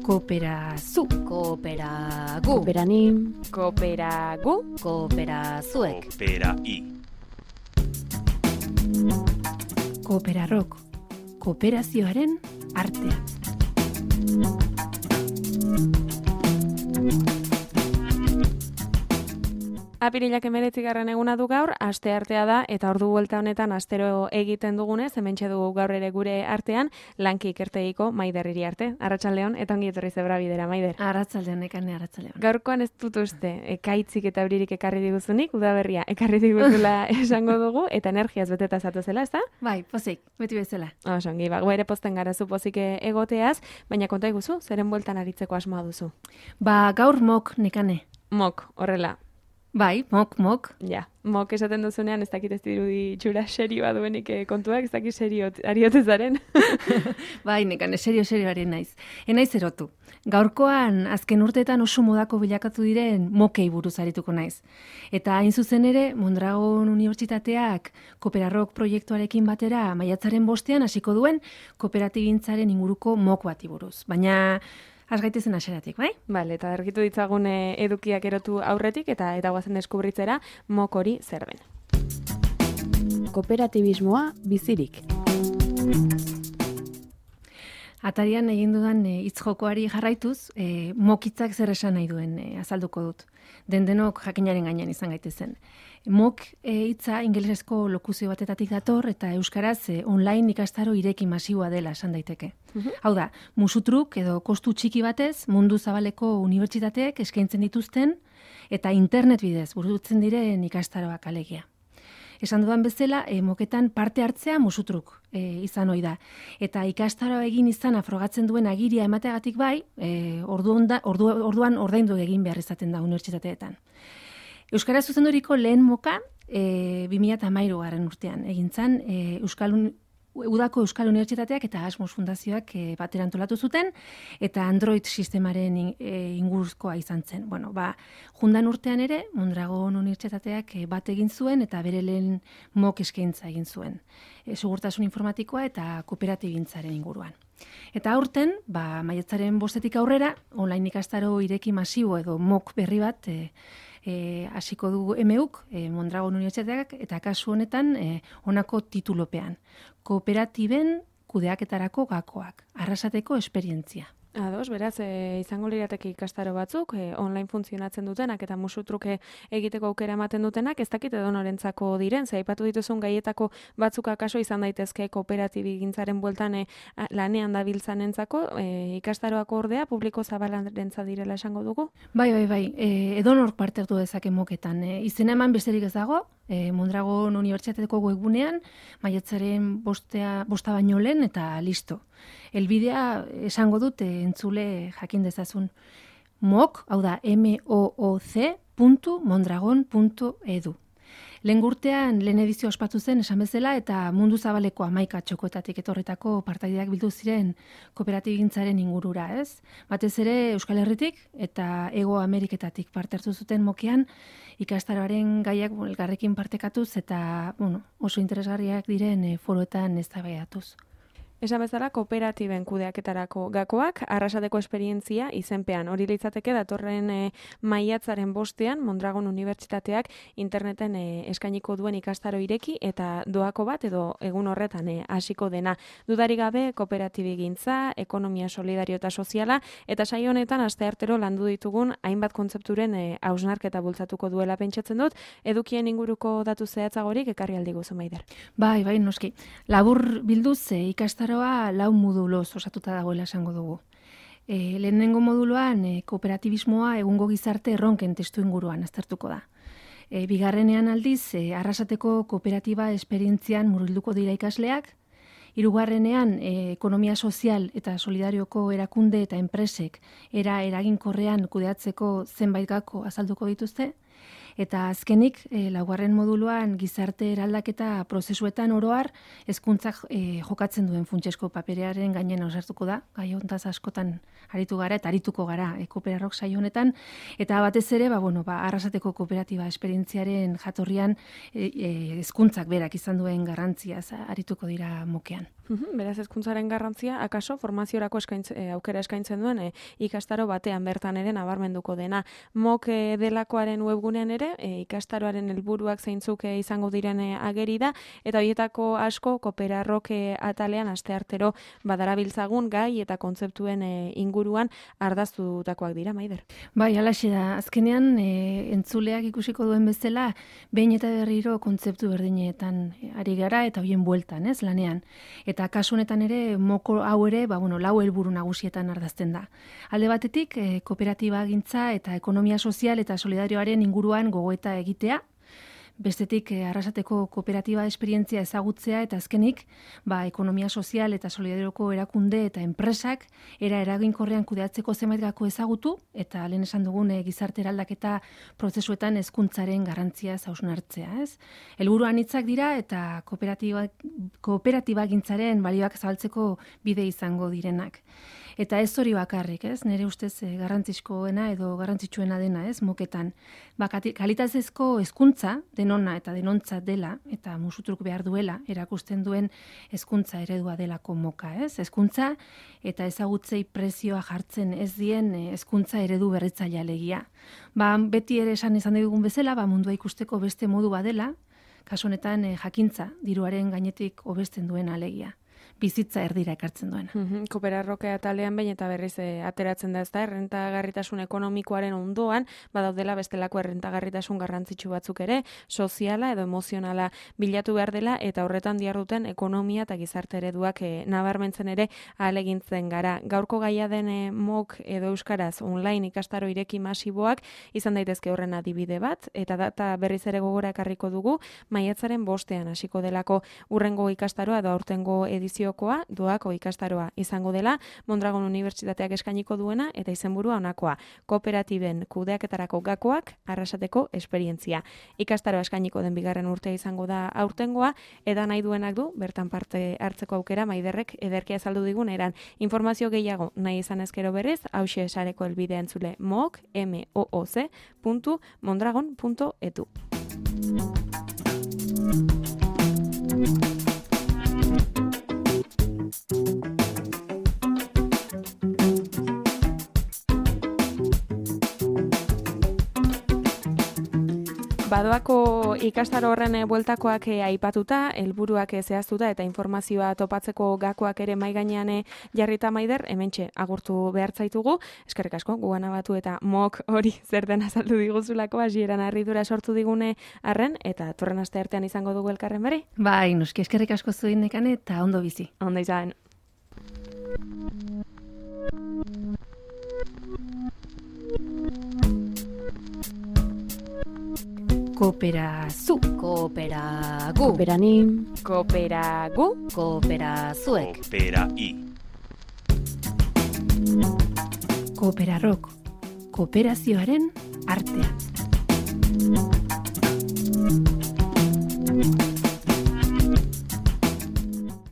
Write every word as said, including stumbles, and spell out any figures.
Kooperazu, Kooperagu, kooperanim, kooperagu, kooperazuek, Koopera-i. Kooperarrok, kooperazioaren artea. Apirilak emeretzigarren eguna du gaur, aste artea da, eta ordu buelta honetan astero egiten dugunez, hementxe dugu gaur ere gure artean, lanki ikertegiko Maider Iriarte. Arratsaldeon, eta ongi etorri zebra bidera, Maider. Arratsaldeon, ekane arratsaldeon. Gaurkoan ez dut uste, ekaitzik eta euririk ekarri diguzunik, udaberria ekarri diguzula esango dugu, eta energiaz beteta zatu zela, ez da? Bai, pozik, beti bezala. Oso, ongi, ba, gu ere posten gara zu pozik egoteaz, baina konta iguzu, zeren bueltan aritzeko asmoa duzu. Ba, gaur mok nekane. Mok, horrela. Bai, mok, mok. Ja, mok esaten duzunean ez dakit ez dirudi txura serioa duenik eh, kontuak, ez dakit serio ariotezaren. Bai, nekane, serio, serioaren naiz. Enaiz erotu. Gaurkoan, azken urteetan oso modako bilakatu diren mokei buruz arituko naiz. Eta hain zuzen ere, Mondragon Unibertsitateak Kooperarrok proiektuarekin batera maiatzaren bostean hasiko duen kooperatigintzaren inguruko mok bati buruz. Baina has gaitezen aseratik, bai? Bale, eta argitu ditzagun eh, edukiak erotu aurretik eta eta guazen deskubritzera mok hori zer den. kooperatibismoa bizirik. Atarian egin dudan e, hitz jokoari jarraituz, e, mokitzak zer esan nahi duen e, azalduko dut. Den-denok jakinaren gainean izan gaitezen. Mok e, hitza ingelesezko lokuzio batetatik dator eta euskaraz e, online ikastaro ireki masiboa dela esan daiteke. Uh-huh. Hau da, musutruk edo kostu txiki batez mundu zabaleko unibertsitateek eskaintzen dituzten eta internet bidez burutzen diren ikastaroak alegia. Esan dudan bezala, e, moketan parte hartzea musutruk e, izan ohi da. Eta ikastaro egin izana frogatzen duen agiria emateagatik bai, e, ordu onda, ordu, orduan ordaindu egin behar izaten da unibertsitateetan. Euskara zuzenduriko lehen moka e, bi mila hamairugarren urtean egin zen e, Euskal Un- Udako Euskal Unibertsitateak eta Asmos Fundazioak e, batera antolatu zuten eta Android sistemaren in, e, inguruzkoa izan zen. Bueno, ba, jundan urtean ere Mondragon Unibertsitateak e, bat egin zuen eta bere lehen mok eskaintza egin zuen. E, segurtasun informatikoa eta kooperatigintzaren inguruan. Eta aurten, ba, maiatzaren bostetik aurrera, online ikastaro ireki masibo edo mok berri bat e, E, hasiko dugu M U K, e, Mondragon Unibertsitateak, eta kasu honetan e, honako titulopean. Kooperatiben kudeaketarako gakoak, arrasateko esperientzia. Ados, beraz, e, izango lirateke ikastaro batzuk, e, online funtzionatzen dutenak eta musutruke egiteko aukera ematen dutenak, ez dakit edo norentzako diren, ze aipatu dituzun gaietako batzuk akaso izan daitezke kooperatibigintzaren bueltan e, lanean dabiltzanentzako, e, ikastaroako ordea publiko zabalantza direla esango dugu? Bai, bai, bai, e, edonork parte hartu dezake moketan. E, izena eman besterik ez dago, e, Mondragon Unibertsitateko webgunean, maiatzaren bostea, bosta baino lehen eta listo. Elbidea esango dut entzule jakin dezazun. Mok, hau da, M O O C puntu mondragon puntu edu. Lehen urtean, lehen edizio ospatu zen esan bezala eta mundu zabaleko hamaika txokoetatik etorritako partaideak bildu ziren kooperatibigintzaren ingurura, ez? Batez ere Euskal Herritik eta Hego Ameriketatik parte hartu zuten mokean ikastaroaren gaiak elgarrekin partekatuz eta bueno, oso interesgarriak diren e, foroetan eztabaidatuz. Esan bezala, kooperatiben kudeaketarako gakoak, arrasateko esperientzia izenpean. Hori litzateke datorren e, maiatzaren bostean, Mondragon Unibertsitateak interneten e, eskainiko duen ikastaro ireki eta doako bat edo egun horretan e, hasiko dena. Dudari gabe, kooperatibigintza, ekonomia solidario eta soziala, eta saio honetan asteartero landu ditugun hainbat kontzepturen e, hausnarketa bultzatuko duela pentsatzen dut, edukien inguruko datu zehatzagorik ekarri aldiguzu, Maider. Bai, bai, noski. Labur bilduz e, ikastaro lau moduloz osatuta dagoela esango dugu. E, lehenengo moduluan e, kooperatibismoa egungo gizarte erronken testu inguruan aztertuko da. E, bigarrenean aldiz, e, arrasateko kooperatiba esperientzian murgilduko dira ikasleak, hirugarrenean e, ekonomia sozial eta solidarioko erakunde eta enpresek era eraginkorrean kudeatzeko zenbait gako azalduko dituzte, eta azkenik, e, laugarren moduluan gizarte eraldaketa prozesuetan oroar hezkuntzak e, jokatzen duen funtsesko paperearen gainen osartuko da, gai hontaz askotan aritu gara eta arituko gara e, Kooperarrok saio honetan, eta batez ere, ba, bueno, ba, arrasateko kooperatiba esperientziaren jatorrian hezkuntzak e, e, berak izan duen garrantziaz arituko dira mokean. Uhum, beraz, hezkuntzaren garrantzia, akaso, formaziorako eskaintz, e, aukera eskaintzen duen e, ikastaro batean bertan ere nabarmenduko dena. Mok e, delakoaren webgunean ere, e, ikastaroaren helburuak zeintzuk e, izango diren e, ageri da, eta horietako asko Kooperarrok e, atalean asteartero badarabiltzagun gai eta kontzeptuen e, inguruan ardaztutakoak dira, Maider. Bai, halaxe da. Azkenean, e, entzuleak ikusiko duen bezala, behin eta berriro kontzeptu berdinetan ari gara eta hoien bueltan, ez, lanean. Eta kasu honetan ere, moko hau ere, ba, bueno, lau helburu nagusietan ardazten da. Alde batetik, e, kooperatiba gintza eta ekonomia sozial eta solidarioaren inguruan gogoeta egitea, bestetik eh, Arrasateko kooperatiba esperientzia ezagutzea eta azkenik, ba, ekonomia sozial eta solidarioko erakunde eta enpresak era eraginkorrean kudeatzeko zenbait gako ezagutu eta lehen esan dugun eh, gizarte eraldaketa prozesuetan hezkuntzaren garrantzia hausnartzea, ez? Helburu anitzak dira eta kooperatiba kooperatiba gintzaren balioak zabaltzeko bide izango direnak. Eta ez hori bakarrik, ez? Nire ustez eh, garrantzizkoena edo garrantzitsuena dena, ez? Moketan. Ba, kalitatezko hezkuntza denona eta denontzat dela eta musutruk behar duela erakusten duen hezkuntza eredua delako moka, ez? Hezkuntza eta ezagutzei prezioa jartzen ez dien hezkuntza eredu berritzailea alegia. Ba, beti ere esan izan dugun bezala, ba, mundua ikusteko beste modu badela, kasu honetan eh, jakintza diruaren gainetik hobesten duen alegia. Bizitza erdira ekartzen duena. Mm-hmm. Kooperarroke atalean behin eta berriz e, ateratzen da, ez da, errentagarritasun ekonomikoaren ondoan, badaudela bestelako errentagarritasun garrantzitsu batzuk ere, soziala edo emozionala bilatu behar dela, eta horretan diharduten ekonomia eta gizarte ereduak e, nabarmentzen ere ahalegintzen gara. Gaurko gaia den e, mok edo euskaraz online ikastaro ireki masiboak izan daitezke horren adibide bat, eta data berriz ere gogora ekarriko dugu, maiatzaren bostean hasiko delako urrengo ikastaroa edo aurtengo edizio doako ikastaroa izango dela, Mondragon Unibertsitateak eskainiko duena eta izenburua honakoa, kooperatiben kudeaketarako gakoak Arrasateko esperientzia. Ikastaroa eskainiko den bigarren urtea izango da aurtengoa, eta nahi duenak du, bertan parte hartzeko aukera Maiderrek ederkia azaldu digun eran. Informazio gehiago nahi izan ezkero berriz, hauxe sareko helbidea entzule mook, m o o c puntu mondragon puntu e t u. Badoako ikastaro horren bueltakoak aipatuta, helburuak zehaztuta eta informazioa topatzeko gakoak ere mai gainean jarrita Maider, hementxe agurtu behar zaitugu. Eskerrik asko, gugana batu eta mok hori zer den azaldu diguzulako, hasieran harridura sortu digune arren, eta torren aste artean izango dugu elkarren bere. Bai, noski eskerrik asko zuen nekane eta ondo bizi. Ondo izan. Kooperazu. Kooperagu. Kooperanim. Kooperagu. Kooperazuek. Kooperai. Kooperarrok. Kooperazioaren artean.